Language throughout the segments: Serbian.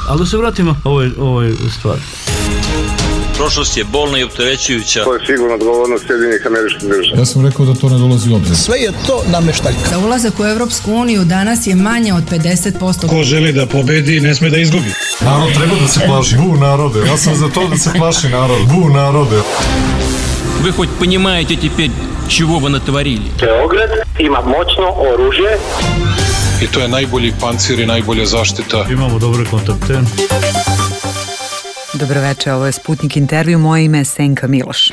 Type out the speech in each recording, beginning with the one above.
Ali da se vratimo ovoj stvari. Prošlost je bolna i opterećujuća. To je sigurno odgovornost Sjedinjenih Američkih Država. Ja sam rekao da to ne dolazi u obzir. Sve je to nameštaljka. Da ulazak u Evropsku uniju danas je manje od 50%. Ko želi da pobedi, ne sme da izgubi. Narod treba da se plaši. Bu narode. Ja sam za to da se plaši narod. Bu narode. Вы хоть понимаете теперь, чего вы натворили? Beograd ima moćno oružje. I to je najbolji pancir i najbolja zaštita. Imamo dobre kontakte. Dobroveče, ovo je Sputnik intervju, moje ime je Senka Miloš.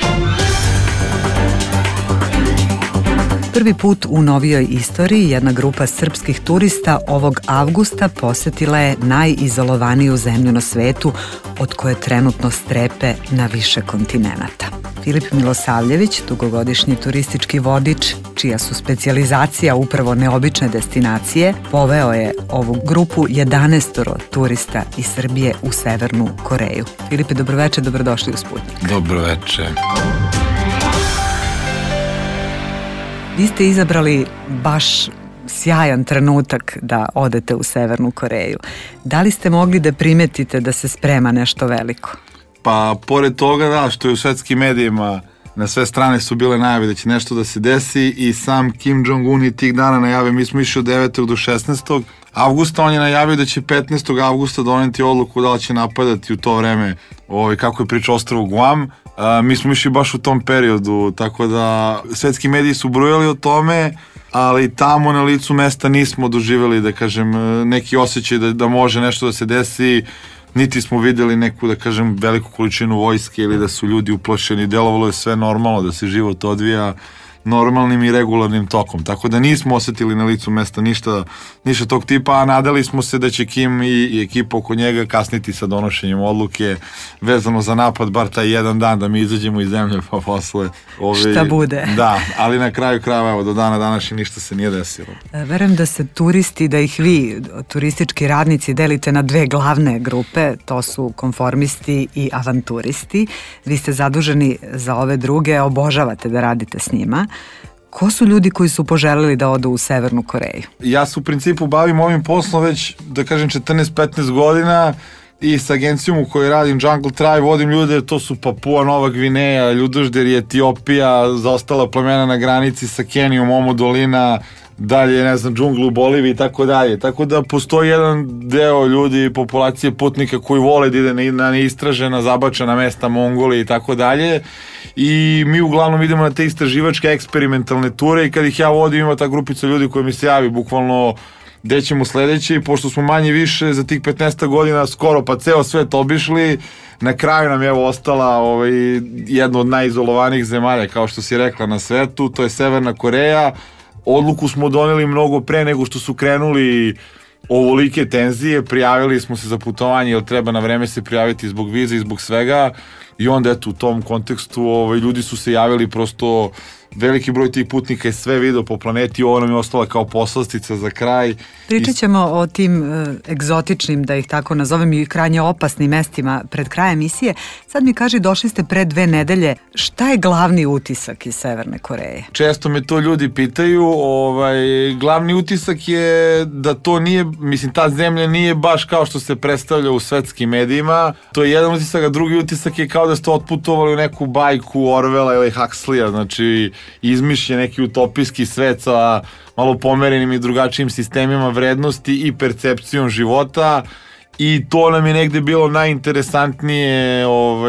Prvi put u novijoj istoriji jedna grupa srpskih turista ovog avgusta posetila je najizolovaniju zemlju na svetu od koje trenutno strepe na više kontinenata. Filip Milosavljević, dugogodišnji turistički vodič, čija su specijalizacija upravo neobične destinacije, poveo je ovu grupu 11 turista iz Srbije u Severnu Koreju. Filipe, dobroveče, dobrodošli u Sputnik. Dobroveče. Vi ste izabrali baš sjajan trenutak da odete u Severnu Koreju. Da li ste mogli da primetite da se sprema nešto veliko? Pa, pored toga, da, što je u svetskim medijima na sve strane su bile najave da će nešto da se desi i sam Kim Jong-un i tih dana najavio, mi smo išli od 9. do 16. avgusta, on je najavio da će 15. avgusta doneti odluku da li će napadati u to vreme, kako je pričao ostrvo Guam. Mi smo išli baš u tom periodu, tako da svetski mediji su brojali o tome, ali tamo na licu mesta nismo doživjeli, da kažem, neki osjećaj da može nešto da se desi, niti smo vidjeli neku, da kažem, veliku količinu vojske ili da su ljudi uplašeni, delovalo je sve normalno, da se život odvija normalnim i regularnim tokom, tako da nismo osjetili na licu mesta ništa tog tipa, a nadali smo se da će Kim i ekipa oko njega kasniti sa donošenjem odluke vezano za napad, bar taj jedan dan da mi izađemo iz zemlje pa posle šta bude. Da, ali na kraju krajeva, evo, do dana današnje ništa se nije desilo. Verujem da se turisti, da ih vi, turistički radnici, delite na dve glavne grupe, to su konformisti i avanturisti. Vi ste zaduženi za ove druge, obožavate da radite s njima. Ko su ljudi koji su poželeli da odu u Severnu Koreju? Ja se u principu bavim ovim poslom već, da kažem, 14-15 godina i s agencijom u kojoj radim, Jungle Tribe, vodim ljude, to su Papua, Nova Gvineja, Ljudožder i Etiopija, zaostala plemena na granici sa Kenijom, Omo dolina, dalje, ne znam, džunglu u Boliviji i tako dalje. Tako da postoji jedan deo ljudi, populacije putnika koji vole da ide na neistražena, zabačena mesta, Mongolije i tako dalje. I mi uglavnom idemo na te istraživačke eksperimentalne ture i kad ih ja vodim ima ta grupica ljudi koja mi se javi bukvalno gde ćemo sledeći, pošto smo manje više za tih 15 godina skoro pa ceo svet obišli, na kraju nam je ostala jedna od najizolovanijih zemalja, kao što si rekla, na svetu, to je Severna Koreja. Odluku smo doneli mnogo pre nego što su krenuli ovolike tenzije, prijavili smo se za putovanje jer treba na vreme se prijaviti zbog vize i zbog svega i onda eto u tom kontekstu ljudi su se javili, prosto veliki broj tih putnika je sve video po planeti, ovo nam je ostala kao poslastica za kraj. Pričat ćemo o tim egzotičnim, da ih tako nazovem, i krajnje opasnim mestima pred krajem emisije. Sad mi kaži, došli ste pre 2 nedelje, šta je glavni utisak iz Severne Koreje? Često me to ljudi pitaju, glavni utisak je da to nije, mislim, ta zemlja nije baš kao što se predstavlja u svetskim medijima, to je jedan utisak, a drugi utisak je kao da ste otputovali u neku bajku Orwella ili Huxleya, znači izmišljen neki utopijski svet sa malo pomerenim i drugačijim sistemima vrednosti i percepcijom života i to nam je negde bilo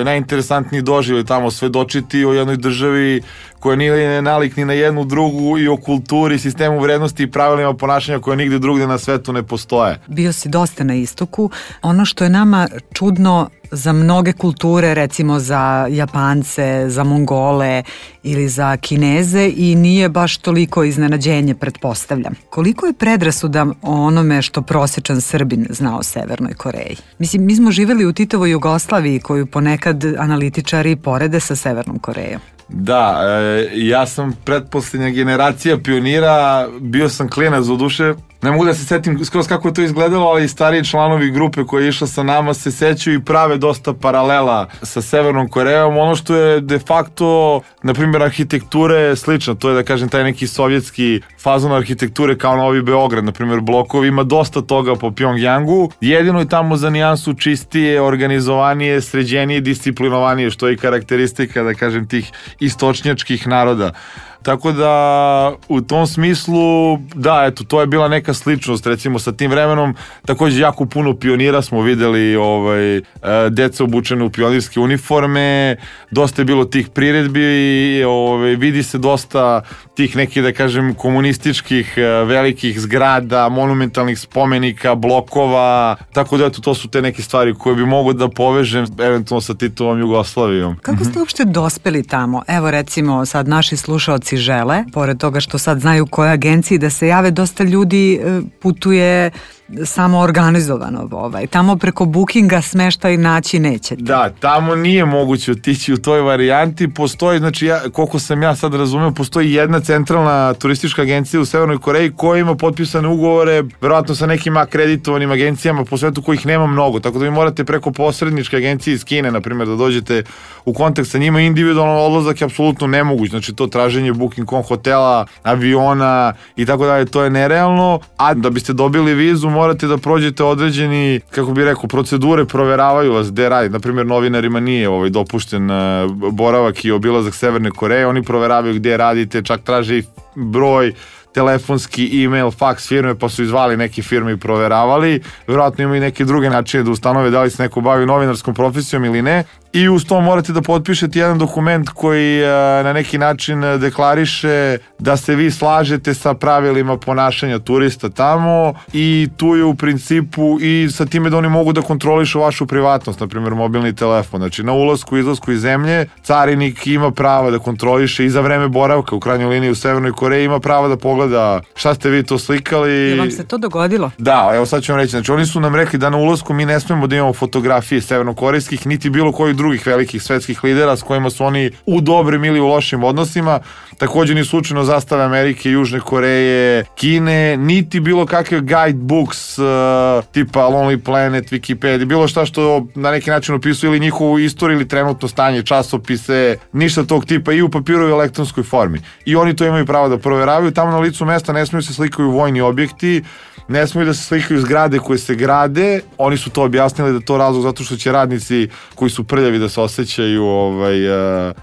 najinteresantniji doživljaj tamo svedočiti o jednoj državi koja nije nalik ni na jednu drugu i o kulturi, sistemu vrednosti i pravilima ponašanja koje nigde drugde na svetu ne postoje. Bio si dosta na istoku. Ono što je nama čudno za mnoge kulture, recimo za Japance, za Mongole ili za Kineze, i nije baš toliko iznenađenje, pretpostavljam. Koliko je predrasuda o onome što prosječan Srbin zna o Severnoj Koreji? Mislim, mi smo živjeli u Titovoj Jugoslaviji koju ponekad analitičari porede sa Severnom Korejom. Da, ja sam pretposlednja generacija pionira, bio sam klinac u duše, Ne mogu da se setim skroz kako je to izgledalo, ali i stariji članovi grupe koja je išla sa nama se sećaju i prave dosta paralela sa Severnom Korejom. Ono što je de facto, na primjer, arhitektura je slična, to je da kažem taj neki sovjetski fazon arhitekture kao Novi Beograd, na primjer blokovi, ima dosta toga po Pjongjangu, jedino je tamo za nijansu čistije, organizovanije, sređenije, disciplinovanije, što je i karakteristika, da kažem, tih istočnjačkih naroda. Tako da u tom smislu, da, eto, to je bila neka sličnost, recimo sa tim vremenom, takođe jako puno pionira smo videli, deca obučene u pionirske uniforme, dosta je bilo tih priredbi, vidi se dosta tih nekih, da kažem, komunističkih velikih zgrada, monumentalnih spomenika, blokova, tako da eto, to su te neke stvari koje bi mogo da povežem eventualno sa Titovom Jugoslavijom. Kako ste uopšte dospeli tamo? Evo recimo sad naši slušaoci žele, pored toga što sad znaju koje agenciji da se jave, dosta ljudi putuje samo organizovano. Tamo preko bookinga smeštaj naći nećete. Da, tamo nije moguće otići u toj varijanti. Postoji, znači, koliko sam ja sad razumeo, postoji jedna centralna turistička agencija u Severnoj Koreji koja ima potpisane ugovore, verovatno sa nekim akreditovanim agencijama po svetu kojih nema mnogo, tako da vi morate preko posredničke agencije iz Kine, na primjer, da dođete u kontakt sa njima. Individualno odlazak je apsolutno nemoguć, znači to traženje booking.com hotela, aviona i tako dalje, to je nerealno, a da biste dobili vizu morate da prođete određeni, kako bih rekao, procedure, proveravaju vas gde radi. Naprimjer, novinarima nije dopušten boravak i obilazak Severne Koreje, oni proveravaju gde radite, čak traže i broj, telefonski, e-mail, faks firme, pa su izvali neke firme i proveravali. Vjerojatno imaju neke druge načine da ustanove da li se neko bavi novinarskom profesijom ili ne. I uz to morate da potpišete jedan dokument koji na neki način deklariše da se vi slažete sa pravilima ponašanja turista tamo i tu je u principu i sa time da oni mogu da kontrolišu vašu privatnost, na primjer mobilni telefon. Znači na ulasku i izlasku iz zemlje carinik ima prava da kontroliše i za vreme boravka u krajnjoj liniji u Severnoj Koreji ima prava da pogleda šta ste vi to slikali. Je vam se to dogodilo? Da, evo sad ću vam reći. Znači oni su nam rekli da na ulasku mi ne smemo da imamo fotografije severnokorejskih niti bilo kojih drugih velikih svetskih lidera s kojima su oni u dobrim ili u lošim odnosima. Također ni slučajno zastave Amerike, Južne Koreje, Kine, niti bilo kakve guidebooks tipa Lonely Planet, Wikipedia, bilo šta što na neki način opisuje ili njihovu istoriju ili trenutno stanje, časopise, ništa tog tipa i u papiru i u elektronskoj formi. I oni to imaju pravo da proveravaju. Tamo na licu mesta ne smiju se slikaju vojni objekti, ne smiju da se slikaju zgrade koje se grade. Oni su to objasnili da to razlog zato što će radnici koji su prljavi da se osjećaju,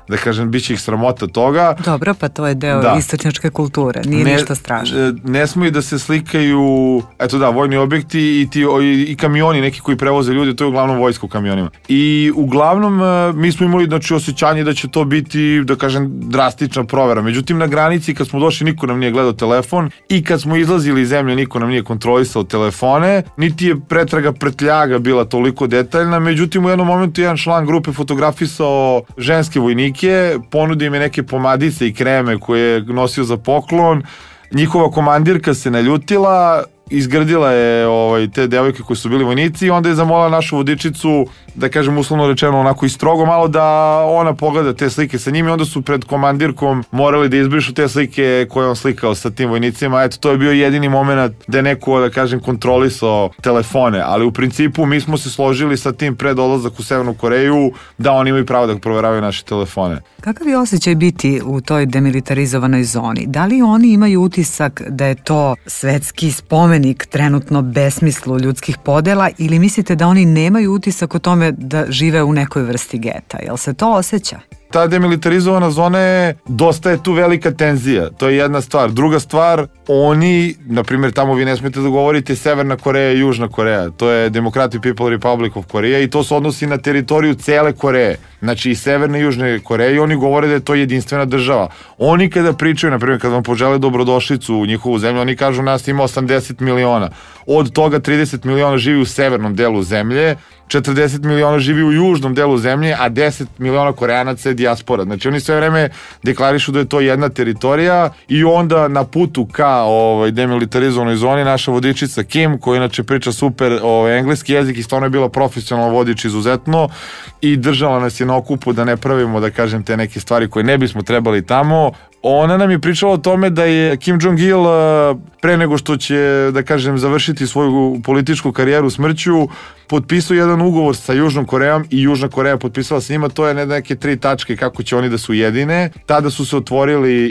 da kažem, bit će ih sramota toga. Dobro, pa to je deo istočnjačke kulture, nije ništa strašno. Ne smiju da se slikaju, eto da, vojni objekti i kamioni neki koji prevoze ljudi, to je uglavnom vojsko u kamionima. I uglavnom mi smo imali, znači, osjećanje da će to biti, da kažem, drastična provera. Međutim, na granici kad smo došli niko nam nije gledao telefon i kad smo izlazili iz zemlje niko nam nije kontrolisao telefone, niti je pretraga prtljaga bila toliko detaljna. Međutim, u jednom momentu jedan član grupe fotografisao ženske vojnike, ponudio im je neke pomadice i kreme koje je nosio za poklon. Njihova komandirka se naljutila, izgrdila je te devojke koje su bili vojnici i onda je zamolila našu vodičicu, da kažem uslovno rečeno onako i strogo malo, da ona pogleda te slike sa njim i onda su pred komandirkom morali da izbrišu te slike koje on slikao sa tim vojnicima. Eto, to je bio jedini moment da je neko, da kažem, kontrolisao telefone, ali u principu mi smo se složili sa tim pred odlazak u Severnu Koreju da oni imaju pravo da proveravaju naše telefone. Kakav je osjećaj biti u toj demilitarizovanoj zoni? Da li oni imaju utisak da je to svetski spomenik trenutno besmislu ljudskih podela ili mislite da oni nemaju utisak o tome da žive u nekoj vrsti geta? Jel se to osjeća? Ta demilitarizovana zona je, dosta je tu velika tenzija, to je jedna stvar. Druga stvar, oni, na primjer, tamo vi ne smijete da govorite Severna Koreja i Južna Koreja, to je Democratic People Republic of Korea i to se odnosi na teritoriju cele Koreje, znači i Severne i Južne Koreje i oni govore da je to jedinstvena država. Oni kada pričaju, na primjer, kada vam požele dobrodošlicu u njihovu zemlju, oni kažu nas ima 80 miliona, od toga 30 miliona živi u severnom delu zemlje, 40 miliona živi u južnom delu zemlje, a 10 miliona Koreanaca je dijaspora. Znači oni sve vreme deklarišu da je to jedna teritorija i onda na putu ka demilitarizovanoj zoni naša vodičica Kim, koja inače priča super engleski jezik i stvarno je bila profesionalna vodič izuzetno i držala nas je na okupu da ne pravimo, da kažem, te neke stvari koje ne bismo trebali tamo. Ona nam je pričala o tome da je Kim Jong-il pre nego što će, da kažem, završiti svoju političku karijeru smrću, potpisao jedan ugovor sa Južnom Korejom i Južna Koreja potpisala sa njima, to je neke 3 tačke kako će oni da se ujedine. Tada su se otvorili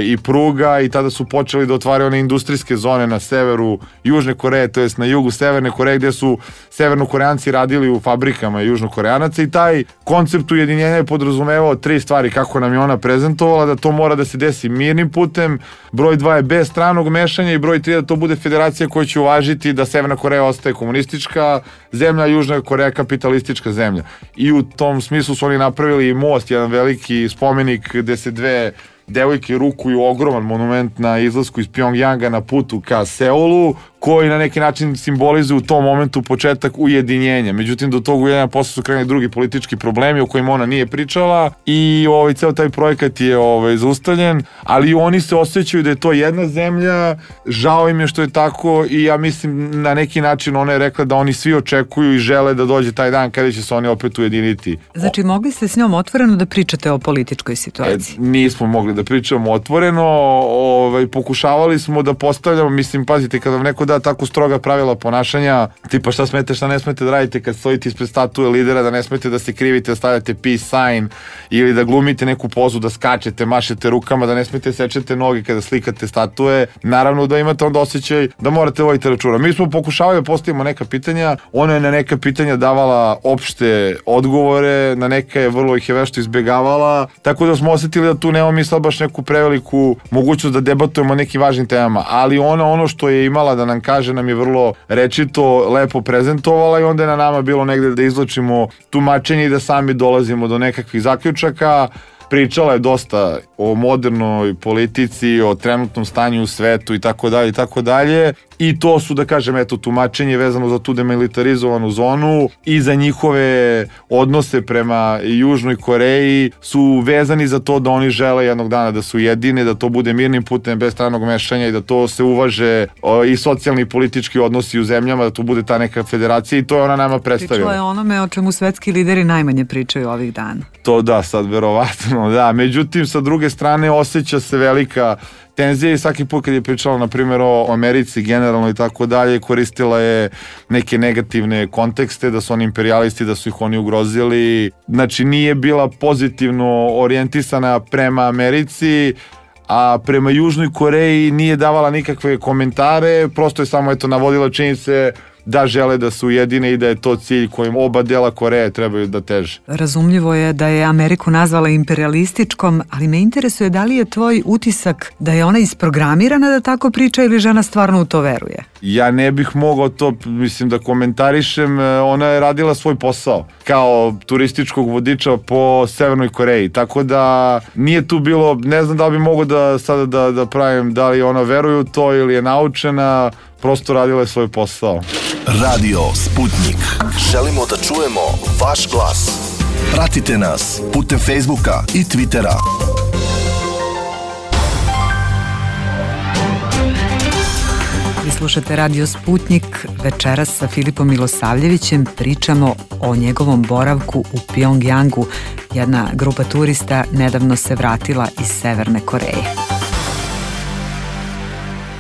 i pruga i tada su počeli da otvaraju one industrijske zone na severu Južne Koreje, to jest na jugu Severne Koreje, gde su Severnokoreanci radili u fabrikama Južnokoreanaca, i taj koncept ujedinjenja je podrazumevao 3 stvari kako nam je ona prezentovala, da to mora da se desi mirnim putem, broj 2 je bez stranog mešanja i broj 3 da to bude federacija koja će uvažiti da Severna Koreja ostaje komunistička zemlja, Južna Koreja kapitalistička zemlja. I u tom smislu su oni napravili most, jedan veliki spomenik gde se 2 devojke rukuju, ogroman monument na izlasku iz Pjongjanga na putu ka Seulu, koji na neki način simbolizuje u tom momentu početak ujedinjenja. Međutim, do tog ujedinjenja posle su krenuli drugi politički problemi o kojima ona nije pričala i ceo taj projekat je zaustavljen, ali oni se osjećaju da je to jedna zemlja, žao im je što je tako i ja mislim na neki način ona je rekla da oni svi očekuju i žele da dođe taj dan kada će se oni opet ujediniti. Znači, mogli ste s njom otvoreno da pričate o političkoj situaciji? Nismo mogli da pričamo otvoreno, pokušavali smo da postavljamo, mislim, pazite, kada vam neko da tako stroga pravila ponašanja, tipa šta smete, šta ne smete da radite kad stojite ispred statue lidera, da ne smete da se krivite, da stavljate peace sign ili da glumite neku pozu, da skačete, mašete rukama, da ne smete sečete noge kada slikate statue, naravno da imate onda osjećaj da morate voditi računa. Mi smo pokušavali da postavimo neka pitanja, ona je na neka pitanja davala opšte odgovore, na neka je vrlo ih je vešto izbegavala, tako da smo osetili da tu nemamo mi sad baš neku preveliku mogućnost da debatujemo o nekim važnim temama, ali ona ono što je imala da nam kaže nam je vrlo rečito, lepo prezentovala i onda je na nama bilo negde da izvlačimo tumačenje i da sami dolazimo do nekakvih zaključaka. Pričala je dosta o modernoj politici, o trenutnom stanju u svetu i tako dalje i tako dalje. I to su, da kažem, eto, tumačenje vezano za tu demilitarizovanu zonu i za njihove odnose prema Južnoj Koreji su vezani za to da oni žele jednog dana da su jedine, da to bude mirnim putem, bez stranog mešanja i da to se uvaže i socijalni i politički odnosi u zemljama, da to bude ta neka federacija i to je ona nama predstavila. Pričala je onome o čemu svetski lideri najmanje pričaju ovih dana. To da, sad verovatno, da. Međutim, sa druge strane, osjeća se velika tenzija i svaki put kad je pričala, na primjer, o Americi generalno i tako dalje, koristila je neke negativne kontekste, da su oni imperijalisti, da su ih oni ugrozili. Znači, nije bila pozitivno orijentisana prema Americi, a prema Južnoj Koreji nije davala nikakve komentare, prosto je samo navodila činjenice da žele da su ujedine i da je to cilj kojim oba dela Koreje trebaju da teže. Razumljivo je da je Ameriku nazvala imperialističkom, ali me interesuje da li je tvoj utisak da je ona isprogramirana da tako priča ili žena stvarno u to veruje? Ja ne bih mogao to, mislim, da komentarišem. Ona je radila svoj posao kao turističkog vodiča po Severnoj Koreji, tako da nije tu bilo, ne znam da li bi mogao da sada da pravim da li ona veruje u to ili je naučena, prosto radila je svoj posao. Radio Sputnik. Želimo da čujemo vaš glas. Pratite nas putem Facebooka i Twittera. Vi slušate Radio Sputnik. Večeras sa Filipom Milosavljevićem pričamo o njegovom boravku u Pjongjangu. Jedna grupa turista nedavno se vratila iz Severne Koreje.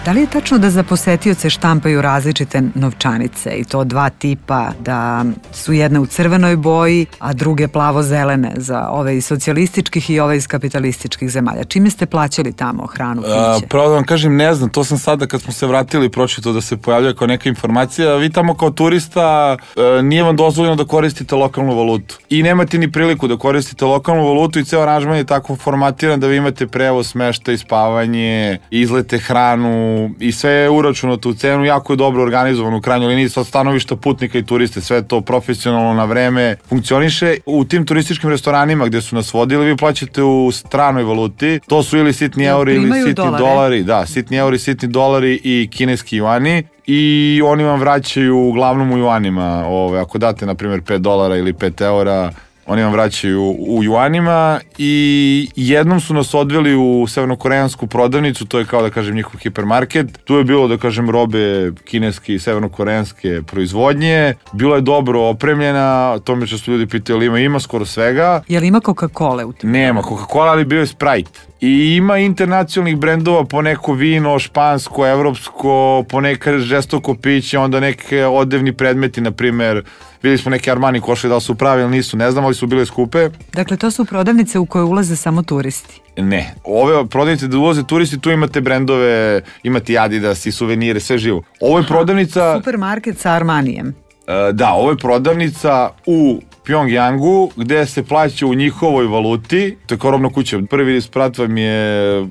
Da li je tačno da za posetioce štampaju različite novčanice i to 2 tipa, da su jedne u crvenoj boji, a druge plavo-zelene za ove iz socijalističkih i ove iz kapitalističkih zemalja? Čime ste plaćali tamo hranu, piće? Pravo da vam kažem, ne znam, to sam sada kad smo se vratili pročito da se pojavljaju kao neka informacija. Vi tamo kao turista nije vam dozvoljeno da koristite lokalnu valutu i nemate ni priliku da koristite lokalnu valutu i ceo aranžman je tako formatiran da vi imate prevoz, smeštaj, spavanje, izlete, hranu i sve je uračunato u cenu, jako je dobro organizovano u krajnjoj liniji sa stanovišta putnika i turiste, sve to profesionalno na vreme funkcioniše. U tim turističkim restoranima gde su nas vodili, vi plaćate u stranoj valuti, to su ili sitni euri ili sitni dolari, da, sitni euri, sitni dolari i kineski juani i oni vam vraćaju uglavnom u juanima, ako date na primjer $5 ili 5 eura, oni vam vraćaju u juanima i jednom su nas odveli u severnokoreansku prodavnicu, to je kao da kažem njihov hipermarket. Tu je bilo da kažem robe kineske i severnokoreanske proizvodnje. Bilo je dobro opremljena, tome što su ljudi pitali ima skoro svega. Je li ima Coca-Cola u tim? Nema Coca-Cola, ali bio je Sprite. I ima internacionalnih brendova, po neko vino, špansko, evropsko, po neka žestoko piće, onda neke odevni predmeti, na primer, vidjeli smo neke Armani košulje, da li su pravi ili nisu, ne znam, ali su bile skupe. Dakle, to su prodavnice u koje ulaze samo turisti? Ne, ove prodavnice da ulaze turisti, tu imate brendove, imate i Adidas i suvenire, sve živo. Ovo je prodavnica... Supermarket sa Armanijem. Da, ovo je prodavnica u Pjongjangu, gde se plaća u njihovoj valuti, to je kao robna kuća. Prvi sprat vam je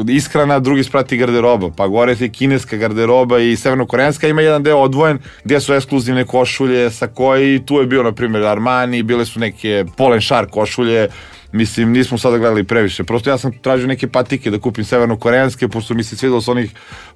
ishrana, drugi sprat je garderoba, pa gore je kineska garderoba i severnokoreanska, ima jedan deo odvojen gdje su ekskluzivne košulje, sakoji, tu je bio na primjer Armani, bile su neke Polen Shark košulje, mislim, nismo sada gledali previše, prosto ja sam tražio neke patike da kupim severnokoreanske, pošto mi se svidelo s onih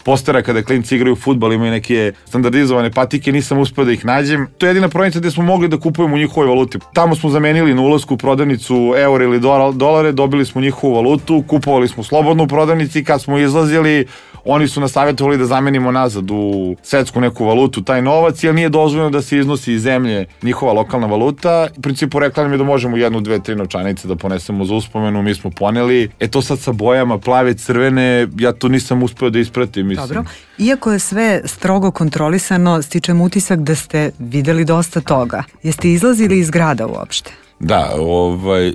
postera kada klinci igraju fudbal, imaju neke standardizovane patike, nisam uspeo da ih nađem. To je jedina prodavnica gde smo mogli da kupujemo u njihovoj valuti. Tamo smo zamenili na ulasku prodavnicu euro ili dolare, dobili smo njihovu valutu, kupovali smo slobodno u prodavnici, kad smo izlazili, oni su nas savjetovali da zamenimo nazad u svetsku neku valutu taj novac, jer nije dozvoljeno da se iznosi iz zemlje njihova lokalna valuta. U principu rekla nam je da možemo 1, 2, 3 novčanice da ponesemo za uspomenu, mi smo poneli. To sad sa bojama plave, crvene, ja to nisam uspeo da ispratim. Mislim. Dobro, iako je sve strogo kontrolisano, stičem utisak da ste videli dosta toga. Jeste izlazili iz grada uopšte? Da,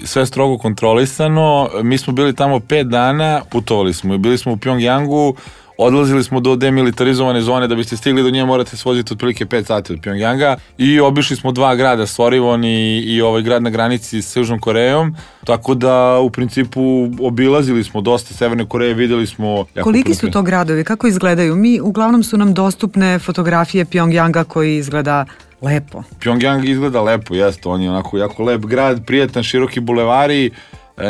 sve strogo kontrolisano, mi smo bili tamo 5 dana, putovali smo i bili smo u Pjongjangu, odlazili smo do demilitarizovane zone, da biste stigli do nje morate se voziti otprilike 5 sati od Pjongjanga i obišli smo 2 grada, Sorivon i ovaj grad na granici s Južnom Korejom, tako da u principu obilazili smo dosta Severne Koreje, videli smo... Koliki su to gradovi, kako izgledaju? Uglavnom su nam dostupne fotografije Pjongjanga koji izgleda lepo. Pjongjang izgleda lepo, jeste, on je onako jako lep grad, prijatan, široki bulevari,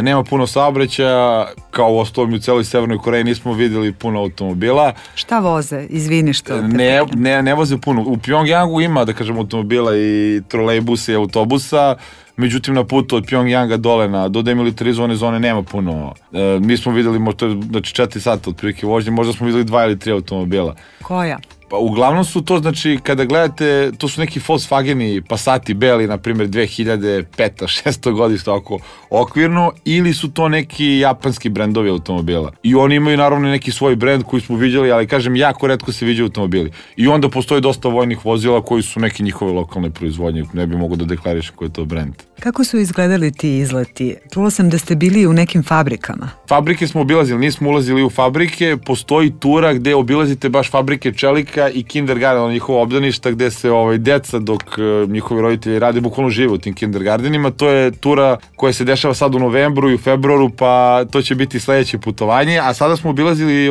nema puno saobraćaja, kao u ostalom u celoj Severnoj Koreji nismo vidjeli puno automobila. Šta voze? Izvini što... Ne voze puno. U Pjongjangu ima, da kažem, automobila i trolejbusa i autobusa, međutim na putu od Pjongjanga dole do demilitarizovane zone nema puno. Mi smo vidjeli možda 4 sata otprilike vožnje, možda smo vidjeli 2 ili 3 automobila. Koja? Pa uglavnom su to, znači, kada gledate, to su neki Volkswageni, Passati beli, na primjer 2005. 6. godište, oko okvirno, ili su to neki japanski brendovi automobila. I oni imaju naravno neki svoj brend koji smo vidjeli, ali kažem, jako retko se viđaju automobili. I onda postoji dosta vojnih vozila koji su neke njihove lokalne proizvodnje, ne bi mogo da deklariš koji je to brend. Kako su izgledali ti izleti? Čula sam da ste bili u nekim fabrikama. Fabrike smo obilazili, nismo ulazili u fabrike, postoji tura gde obilazite baš fabrike čelika i kindergarten, njihova obdaništa gde se deca dok njihovi roditelji rade bukvalno žive u tim kindergartenima. To je tura koja se dešava sad u novembru i u februaru, pa to će biti sledeće putovanje, a sada smo obilazili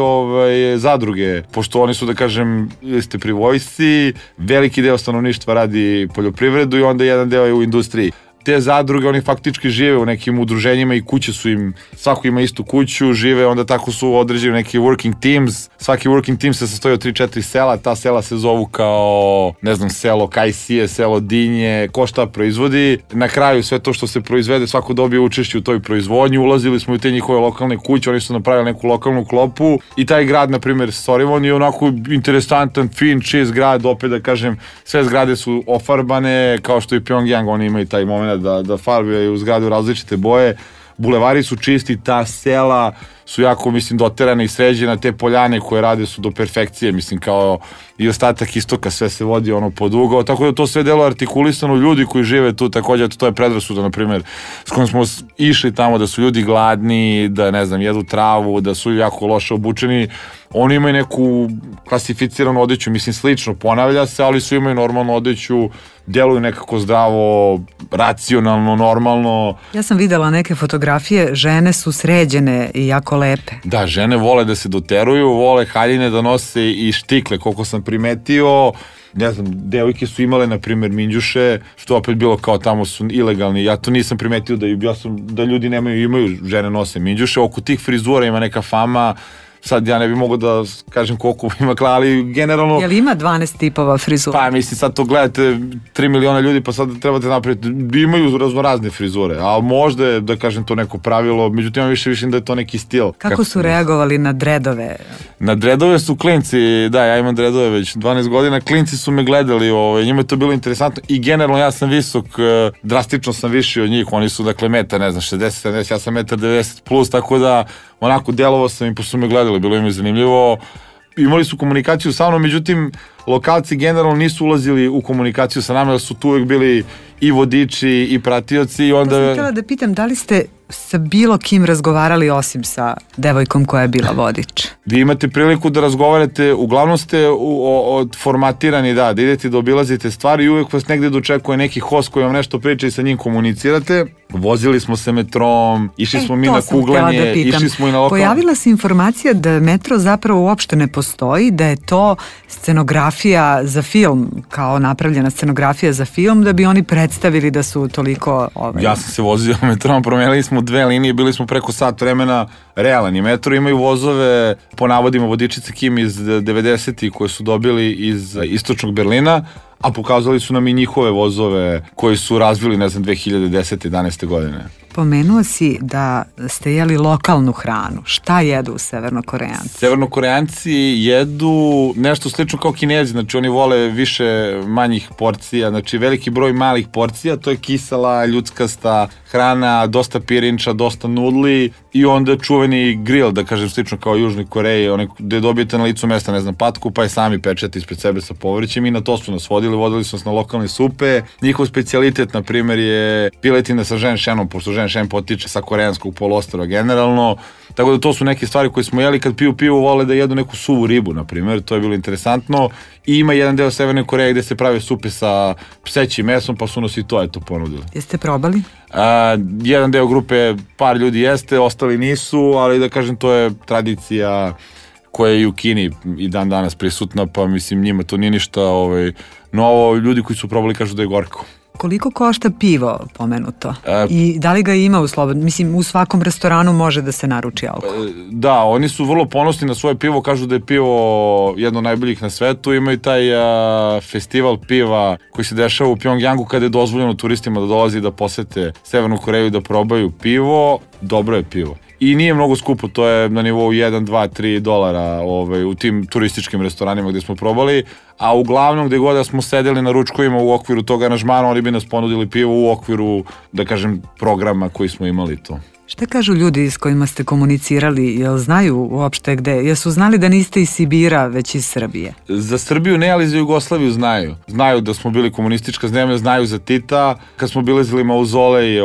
zadruge, pošto oni su, da kažem, ste pri vojsci, veliki deo stanovništva radi poljoprivredu i onda jedan deo je u industriji. Te zadruge, oni faktički žive u nekim udruženjima i kuće su im, svako ima istu kuću, žive, onda tako su određeni neki working teams, svaki working team se sastoji od 3-4 sela, ta sela se zovu kao, ne znam, selo Kajsije, selo Dinje, ko šta proizvodi, na kraju sve to što se proizvede, svako dobije učešće u toj proizvodnji, ulazili smo u te njihove lokalne kuće, oni su napravili neku lokalnu klopu i taj grad, na primjer Sorivon, je onako interesantan, fin, čist grad, opet da kažem, sve zgrade su ofarbane, kao što i Pjongjang, oni imaju taj moment da farbaju zgrade u različite boje, bulevari su čisti, ta sela su jako, mislim, doterane i sređene, te poljane koje rade su do perfekcije, mislim, kao i ostatak istoka, sve se vodi pod ugao, tako da to sve delo artikulisano, ljudi koji žive tu, također, to je predrasuda, na primjer, s kojom smo išli tamo, da su ljudi gladni, da, ne znam, jedu travu, da su jako loše obučeni, oni imaju neku klasificiranu odeću, mislim, slično ponavlja se, ali su imaju normalnu odeću, djeluju nekako zdravo, racionalno, normalno. Ja sam videla neke fotografije, žene su sređene i jako lepe. Da, žene vole da se doteruju, vole haljine da nose i štikle, koliko sam primetio. Ne znam, devojke su imale, na primjer, minđuše, što opet bilo kao tamo su ilegalni. Ja to nisam primetio da ljudi imaju žene nose minđuše. Oko tih frizura ima neka fama. Sad ja ne bi mogao da kažem koliko ima, ali generalno... Jel ima 12 tipova frizura? Pa mislim, sad to gledate 3 miliona ljudi, pa sad trebate napraviti, imaju raznorazne frizure, ali možda je, da kažem, to neko pravilo, međutim ja više da je to neki stil. Kako su reagovali na dredove? Na dredove su klinci, da, ja imam dredove već 12 godina, klinci su me gledali, njima je to bilo interesantno i generalno ja sam visok, drastično sam viši od njih, oni su, dakle, metar, ne znam, 60, 70, ja sam metar 90 plus, tako da onako delovao sam i su me gledali, bilo im je zanimljivo. Imali su komunikaciju sa mnom, međutim, lokalci generalno nisu ulazili u komunikaciju sa nama, jer su tu uvek bili i vodiči i pratioci. I onda... To sam htjela da pitam, da li ste sa bilo kim razgovarali osim sa devojkom koja je bila vodič? Vi imate priliku da razgovarate, uglavnom ste formatirani, da idete da obilazite stvari i uvek vas negde dočekuje neki host koji vam nešto priča i sa njim komunicirate. Vozili smo se metrom, išli smo mi na kuglanje, išli smo i na lokalno. Pojavila se informacija da metro zapravo uopšte ne postoji, da je to scenografija za film, kao napravljena scenografija za film, da bi oni predstavili da su toliko... Ja sam se vozio metrom, promenili smo 2 linije, bili smo preko sat vremena. Realan je metro, imaju vozove, po navodima vodičice Kim iz 90-ih koje su dobili iz istočnog Berlina, a pokazali su nam i njihove vozove koji su razvili, 2010. 11. godine. Pomenuo si da ste jeli lokalnu hranu. Šta jedu Severnokorejanci? Severnokorejanci jedu nešto slično kao Kinezi, znači oni vole više manjih porcija, znači veliki broj malih porcija, to je kisela, ljudskasta hrana, dosta pirinča, dosta nudli i onda čuveni grill, da kažem slično kao u Južnoj Koreji, gde dobijete na licu mesta, patku, pa je sami pečete ispred sebe sa povrćem i na to su nas vodili su nas na lokalne supe. Njihov specijalitet, na primjer, je piletina sa ženšenom, pošto ženšen potiče sa koreanskog poluostrva generalno, tako da to su neke stvari koje smo jeli. Kad piju pivo, vole da jedu neku suvu ribu, na primjer, to je bilo interesantno. I ima jedan deo Severne Koreje gde se prave supe sa psećim mesom, pa su nas i to ponudili. Jeste probali? Jedan deo grupe, par ljudi jeste, ostali nisu, ali da kažem, to je tradicija koja je i u Kini i dan danas prisutna, pa mislim njima to nije ništa novo. Ljudi koji su probali kažu da je gorko. Koliko košta pivo pomenuto? I da li ga ima u slobodnom? Mislim, u svakom restoranu može da se naruči alkohol. Da, oni su vrlo ponosni na svoje pivo, kažu da je pivo jedno od najboljih na svetu. Imaju taj festival piva koji se dešava u Pjongjangu kada je dozvoljeno turistima da dolazi da posete Severnu Koreju i da probaju pivo. Dobro je pivo. I nije mnogo skupo, to je na nivou 1, 2, $3 u tim turističkim restoranima gde smo probali, a uglavnom gde god da smo sedeli na ručkovima u okviru tog aranžmana, oni bi nas ponudili pivo u okviru, da kažem, programa koji smo imali to. Šta kažu ljudi s kojima ste komunicirali? Jel znaju uopšte gde? Jesu znali da niste iz Sibira, već iz Srbije? Za Srbiju ne, ali za Jugoslaviju znaju. Znaju da smo bili komunistička zemlja, znaju za Tita. Kad smo bilazili mauzolej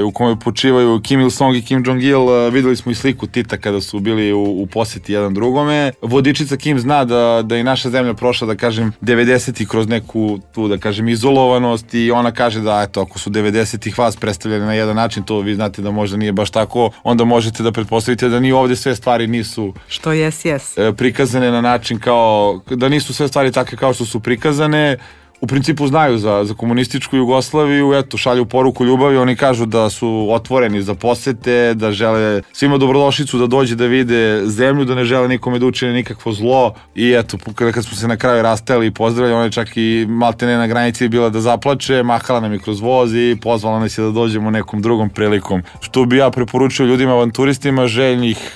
u kome počivaju Kim Il-sung i Kim Jong-il, videli smo i sliku Tita kada su bili u poseti jedan drugome. Vodičica Kim zna da je naša zemlja prošla, da kažem, 90-ih kroz neku tu, da kažem, izolovanost i ona kaže da, eto, ako su 90-ih vas predstavljali na jedan način, to vi znate da možda nije baš tako, onda možete da pretpostavite da ni ovdje sve stvari nisu prikazane na način kao, da nisu sve stvari takve kao što su prikazane. U principu znaju za komunističku Jugoslaviju, eto, šalju poruku ljubavi, oni kažu da su otvoreni za posete, da žele svima dobrodošlicu da dođe da vide zemlju, da ne žele nikome da učine nikakvo zlo i eto, kad smo se na kraju rastajali i pozdravili, ona je čak i maltene na granici bila da zaplače, mahala nam je kroz voz i pozvala nas je da dođemo nekom drugom prilikom. Što bi ja preporučio ljudima, avanturistima, željnih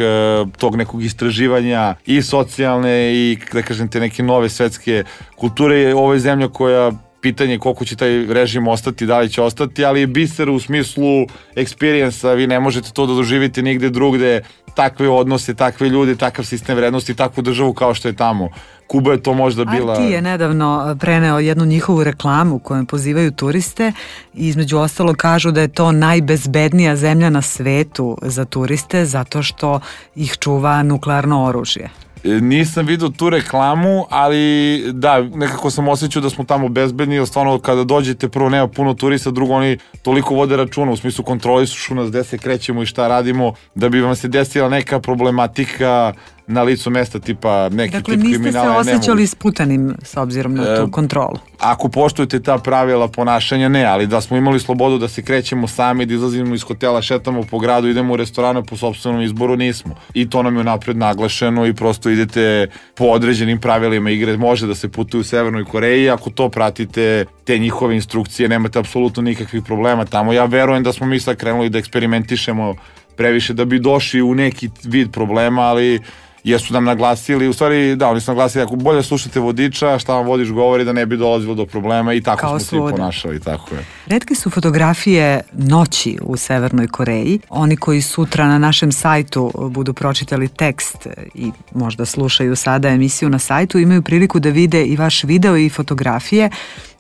tog nekog istraživanja i socijalne i, da kažem, te neke nove svetske kulture. Ovo je zemlja koja, pitanje koliko će taj režim ostati, da li će ostati, ali je biser u smislu experience-a, vi ne možete to da doživite nigde drugde, takve odnose, takve ljude, takav sistem vrednosti, takvu državu kao što je tamo. Kuba je to možda bila... RT je nedavno preneo jednu njihovu reklamu kojom pozivaju turiste i između ostalog kažu da je to najbezbednija zemlja na svetu za turiste zato što ih čuva nuklearno oružje. Nisam vidio tu reklamu, ali da, nekako sam osjećao da smo tamo bezbedni, jer stvarno kada dođete, prvo nema puno turista, drugo oni toliko vode računa, u smislu kontrolišu nas gde se krećemo i šta radimo, da bi vam se desila neka problematika na licu mesta, tipa neki tip kriminala. Dakle, niste se osjećali sputanim s obzirom na tu kontrolu? Ako poštujete ta pravila ponašanja, ne, ali da smo imali slobodu da se krećemo sami, da izlazimo iz hotela, šetamo po gradu, idemo u restorane po sopstvenom izboru, nismo. I to nam je napred naglašeno i prosto idete po određenim pravilima igre, može da se putuje u Severnoj Koreji, ako to pratite, te njihove instrukcije, nemate apsolutno nikakvih problema tamo. Ja verujem da smo mi sad krenuli da eksperimentišemo previše da bi došli u neki vid problema, ali jesu nam naglasili, u stvari da, oni su naglasili ako bolje slušate vodiča, šta vam vodič govori da ne bi dolazilo do problema i tako kao smo svi ponašali, tako je. Retke su fotografije noći u Severnoj Koreji. Oni koji sutra na našem sajtu budu pročitali tekst i možda slušaju sada emisiju na sajtu, imaju priliku da vide i vaš video i fotografije.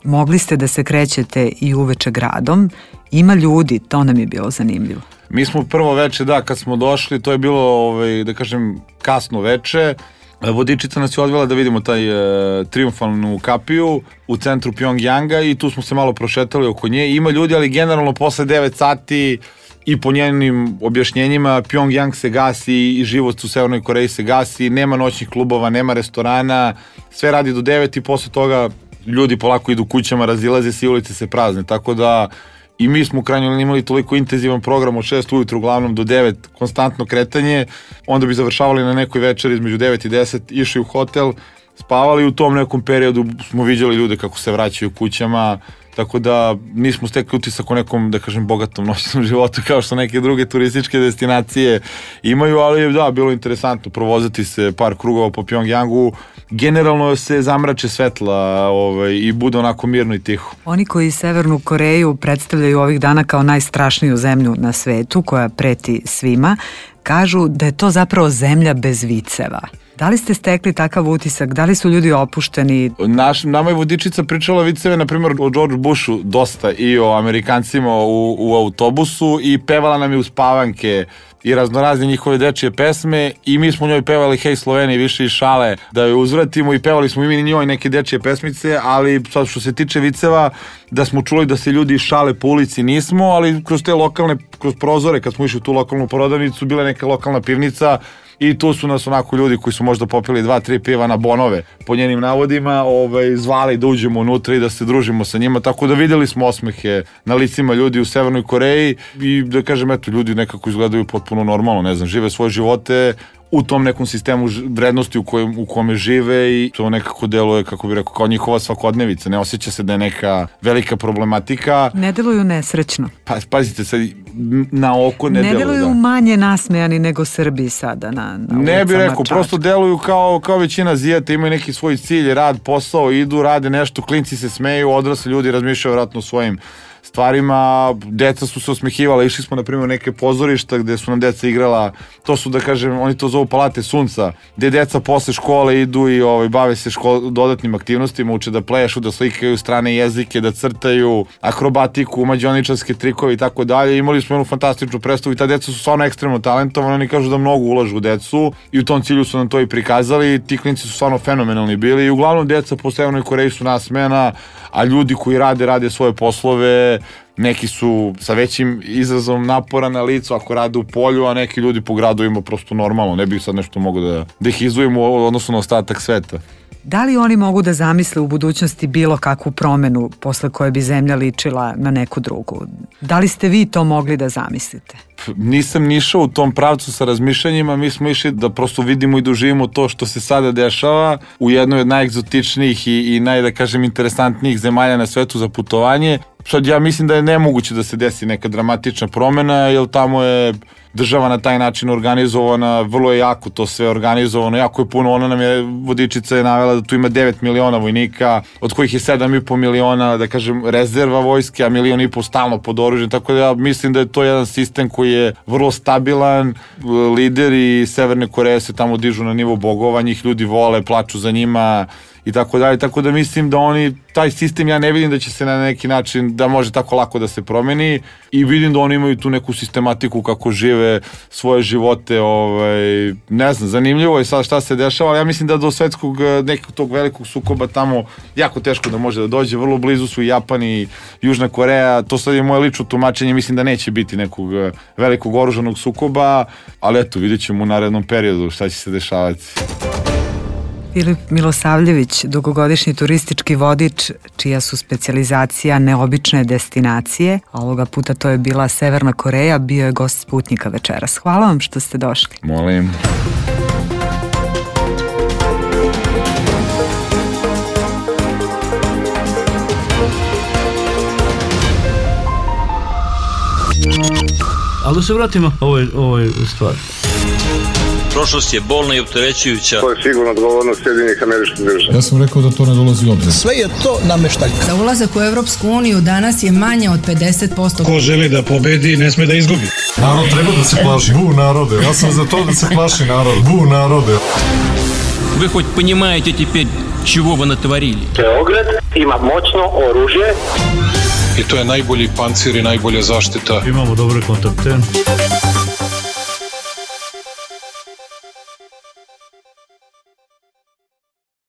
Mogli ste da se krećete i uveče gradom. Ima ljudi, to nam je bilo zanimljivo. Mi smo prvo veče, da, kad smo došli, to je bilo, da kažem, kasno veče. Vodičica nas je odvela da vidimo taj triumfalnu kapiju u centru Pjongjanga i tu smo se malo prošetali oko nje. Ima ljudi, ali generalno posle 9 sati i po njenim objašnjenjima Pjongjang se gasi i život u Severnoj Koreji se gasi, nema noćnih klubova, nema restorana, sve radi do 9 i posle toga ljudi polako idu kućama, razilaze se i ulice se prazne, tako da i mi smo u krajnjoj liniji imali toliko intenzivan program od 6 ujutru uglavnom do 9, konstantno kretanje, onda bi završavali na nekoj večeri između 9 i 10, išli u hotel, spavali, u tom nekom periodu smo viđali ljude kako se vraćaju kućama, tako da nismo stekli utisak o nekom, da kažem, bogatom noćnom životu kao što neke druge turističke destinacije imaju, ali da, bilo interesantno provozati se par krugova po Pjongjangu. Generalno se zamrače svetla i bude onako mirno i tiho. Oni koji Severnu Koreju predstavljaju ovih dana kao najstrašniju zemlju na svetu, koja preti svima, kažu da je to zapravo zemlja bez viceva. Da li ste stekli takav utisak? Da li su ljudi opušteni? Nama je vodičica pričala viceve, na primjer, o George Bushu dosta i o Amerikancima u autobusu i pevala nam je uspavanke i raznorazne njihove dečije pesme i mi smo njoj pevali Hej Sloveniji, više i šale da joj uzvratimo i pevali smo i mi njoj neke dečije pesmice, ali sad što se tiče viceva, da smo čuli da se ljudi šale po ulici nismo, ali kroz te lokalne, kroz prozore kad smo išli u tu lokalnu prodavnicu, bila neka lokalna pivnica i tu su nas onako ljudi koji su možda popili 2-3 piva na bonove, po njenim navodima, zvali da uđemo unutra i da se družimo sa njima, tako da videli smo osmehe na licima ljudi u Severnoj Koreji i da kažem, eto, ljudi nekako izgledaju potpuno normalno, ne znam, žive svoje živote u tom nekom sistemu vrednosti u kome žive i to nekako deluje, kako bih rekao, kao njihova svakodnevica. Ne osjeća se da je neka velika problematika. Ne deluju nesrećno. Pazite, sad na oko ne deluju. Ne deluju manje nasmejani nego Srbi sada na ne bih rekao, prosto deluju kao većina Azijata, imaju neki svoj cilj, rad, posao, idu, rade nešto, klinci se smeju, odrasli ljudi razmišljaju vjerojatno o svojim stvarima, deca su se osmehivala, išli smo na primjer neke pozorišta gde su nam deca igrala, to su, da kažem, oni to zovu palate sunca, gde deca posle škole idu i bave se dodatnim aktivnostima, uče da plešu, da slikaju strane jezike, da crtaju, akrobatiku, mađioničarske trikove i tako dalje. Imali smo jednu fantastičnu predstavu i ta deca su stvarno ekstremno talentovani, oni kažu da mnogo ulažu u decu i u tom cilju su nam to i prikazali, ti klinci su stvarno fenomenalni bili i uglavnom deca po Severnoj Koreji su nasmejana, a ljudi koji rade svoje poslove, neki su sa većim izrazom napora na licu ako rade u polju, a neki ljudi po gradovima prosto normalno, ne bih sad nešto mogao da ih izdvojimo u odnosu na ostatak sveta. Da li oni mogu da zamisle u budućnosti bilo kakvu promenu posle koje bi zemlja ličila na neku drugu? Da li ste vi to mogli da zamislite? Nisam ni išao u tom pravcu sa razmišljanjima, mi smo išli da prosto vidimo i doživimo to što se sada dešava u jednoj od najegzotičnijih i da kažem, interesantnijih zemalja na svetu za putovanje. Sad ja mislim da je nemoguće da se desi neka dramatična promena, jer tamo je država na taj način organizovana, vrlo je jako to sve organizovano, jako je puno, ona nam je, vodičica je navela da tu ima 9 miliona vojnika, od kojih je 7,5 miliona, da kažem, rezerva vojske, a 1,5 miliona stalno pod oružjem, tako da ja mislim da je to jedan sistem koji je vrlo stabilan, lideri Severne Koreje se tamo dižu na nivo bogova, njih ljudi vole, plaču za njima i tako dalje, tako da mislim da oni, taj sistem ja ne vidim da će se na neki način, da može tako lako da se promeni i vidim da oni imaju tu neku sistematiku kako žive svoje živote, ne znam, zanimljivo je sad šta se dešava, ali ja mislim da do svetskog nekog tog velikog sukoba tamo jako teško da može da dođe, vrlo blizu su i Japan i Južna Koreja, to sad je moje lično tumačenje, mislim da neće biti nekog velikog oružanog sukoba, ali eto, vidjet ćemo u narednom periodu šta će se dešavati. Filip Milosavljević, dugogodišnji turistički vodič, čija su specijalizacija neobične destinacije, a ovoga puta to je bila Severna Koreja, bio je gost Sputnika večeras. Hvala vam što ste došli. Molim. Ali da se vratimo ovoj stvari. Prošlost je bolna i opterećujuća. To je sigurno odgovornost Sjedinjenih Američkih Država. Ja sam rekao da to ne dolazi u obzir. Sve je to nameštaljka. Za ulazak u Europsku uniju danas je manje od 50%. Ko želi da pobedi, ne sme da izgubi. Narod treba da se plaši. Bu narode. Ja sam za to da se plaši narod. Bu narode. Вы хоть понимаете теперь, чего вы натворили? Beograd ima moćno oružje. I to je najbolji pancir i najbolja zaštita. Imamo dobre kontakte.